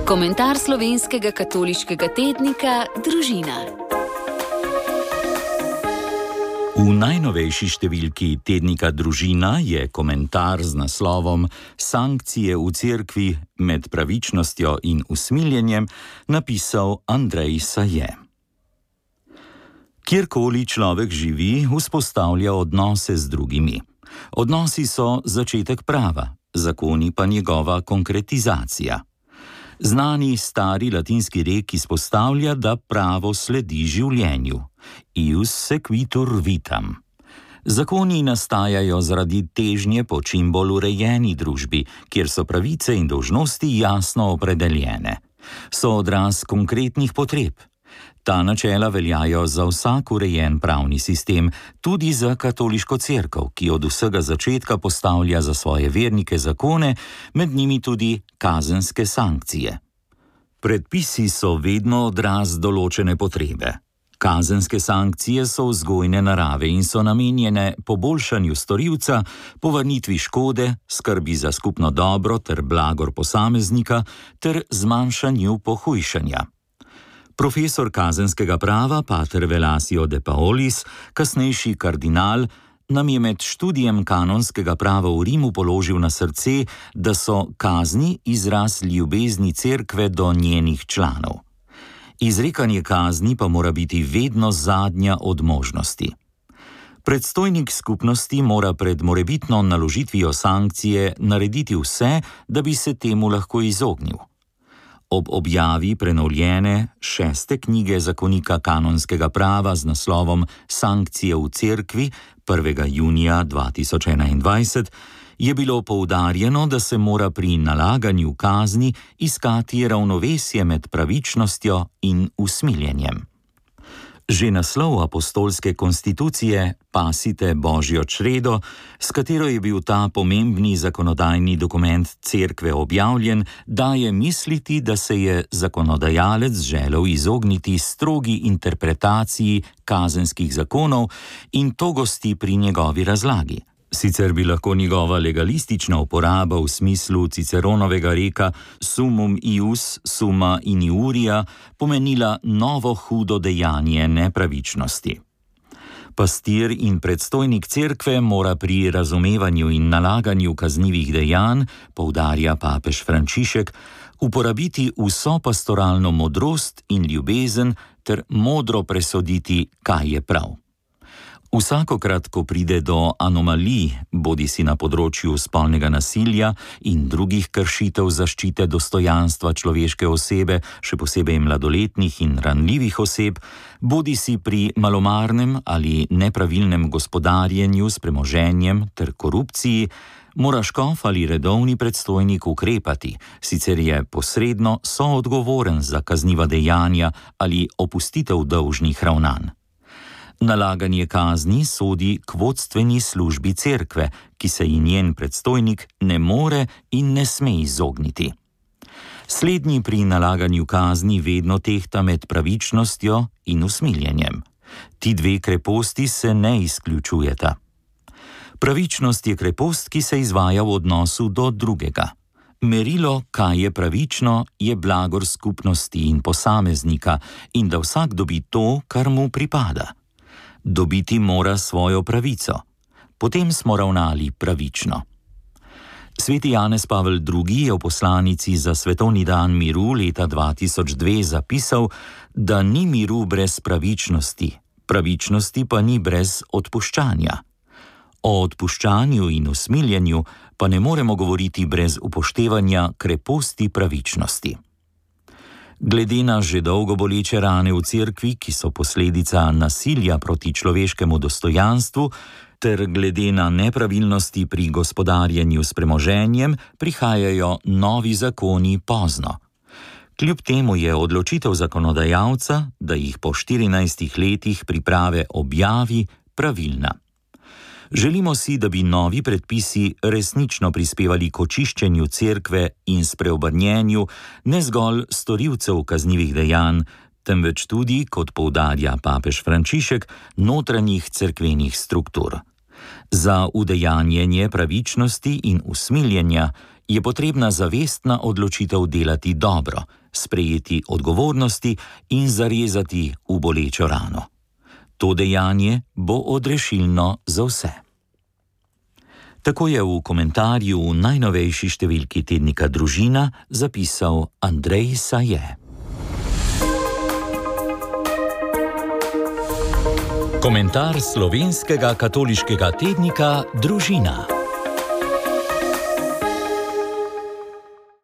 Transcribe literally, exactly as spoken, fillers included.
Komentar slovenskega katoliškega tednika Družina. V najnovejši številki tednika Družina je komentar z naslovom Sankcije v cerkvi med pravičnostjo in usmiljenjem napisal Andrej Saje. Kjerkoli človek živi, vzpostavlja odnose z drugimi. Odnosi so začetek prava, zakoni pa njegova konkretizacija. Znani stari latinski rek izpostavlja, da pravo sledi življenju. Ius sequitur vitam. Zakoni nastajajo zaradi težnje po čim bolj urejeni družbi, kjer so pravice in dolžnosti jasno opredeljene. So odraz konkretnih potreb. Ta načela veljajo za vsak urejen pravni sistem, tudi za katoliško cerkev, ki od vsega začetka postavlja za svoje vernike zakone, med njimi tudi kazenske sankcije. Predpisi so vedno odraz določene potrebe. Kazenske sankcije so vzgojne narave in so namenjene poboljšanju storilca, povrnitvi škode, skrbi za skupno dobro ter blagor posameznika ter zmanjšanju pohujšanja. Profesor kazenskega prava pater Velasio de Paolis, kasnejši kardinal, nam je med študijem kanonskega prava v Rimu položil na srce, da so kazni izraz ljubezni cerkve do njenih članov. Izrekanje kazni pa mora biti vedno zadnja od možnosti. Predstojnik skupnosti mora pred morebitno naložitvijo sankcije narediti vse, da bi se temu lahko izognil. Ob objavi prenovljene šeste knjige zakonika kanonskega prava z naslovom Sankcije v cerkvi prvega junija dva tisoč enaindvajset je bilo poudarjeno, da se mora pri nalaganju kazni iskati ravnovesje med pravičnostjo in usmiljenjem. Že naslov apostolske konstitucije Pasite Božjo čredo, s katero je bil ta pomembni zakonodajni dokument cerkve objavljen, daje misliti, da se je zakonodajalec želel izogniti strogi interpretaciji kazenskih zakonov in togosti pri njegovi razlagi. Sicer bi lahko njegova legalistična uporaba v smislu Ciceronovega reka sumum ius summa iniuria pomenila novo hudo dejanje nepravičnosti. Pastir in predstojnik cerkve mora pri razumevanju in nalaganju kaznivih dejanj, poudarja papež Frančišek, uporabiti vso pastoralno modrost in ljubezen ter modro presoditi, kaj je prav. Vsakokrat, ko pride do anomalij, bodisi na področju spolnega nasilja in drugih kršitev zaščite dostojanstva človeške osebe, še posebej mladoletnih in ranljivih oseb, bodisi pri malomarnem ali nepravilnem gospodarjenju s premoženjem ter korupciji, mora škof ali redovni predstojnik ukrepati, sicer je posredno soodgovoren za kazniva dejanja ali opustitev dolžnih ravnanj. Nalaganje kazni sodi k vodstveni službi cerkve, ki se ji njen predstojnik ne more in ne sme izogniti. Slednji pri nalaganju kazni vedno tehta med pravičnostjo in usmiljenjem. Ti dve kreposti se ne izključujeta. Pravičnost je krepost, ki se izvaja v odnosu do drugega. Merilo, kaj je pravično, je blagor skupnosti in posameznika in da vsak dobi to, kar mu pripada. Dobiti mora svojo pravico. Potem smo ravnali pravično. Sveti Janez Pavel drugi je v poslanici za svetovni dan miru leta dva tisoč dve zapisal, da ni miru brez pravičnosti, pravičnosti pa ni brez odpuščanja. O odpuščanju in usmiljenju pa ne moremo govoriti brez upoštevanja kreposti pravičnosti. Glede na že dolgo boleče rane v cerkvi, ki so posledica nasilja proti človeškemu dostojanstvu, ter glede na nepravilnosti pri gospodarjenju s premoženjem, prihajajo novi zakoni pozno. Kljub temu je odločitev zakonodajalca, da jih po štirinajstih letih priprave objavi, pravilna. Želimo si, da bi novi predpisi resnično prispevali k očiščenju cerkve in spreobrnjenju ne zgolj storilcev kaznivih dejanj, temveč tudi, kot poudarja papež Frančišek, notranjih cerkvenih struktur. Za udejanjenje pravičnosti in usmiljenja je potrebna zavestna odločitev delati dobro, sprejeti odgovornosti in zarezati v bolečo rano. To dejanje bo odrešilno za vse. Tako je v komentarju v najnovejši številki tednika Družina zapisal Andrej Saje. Komentar slovenskega katoliškega tednika Družina.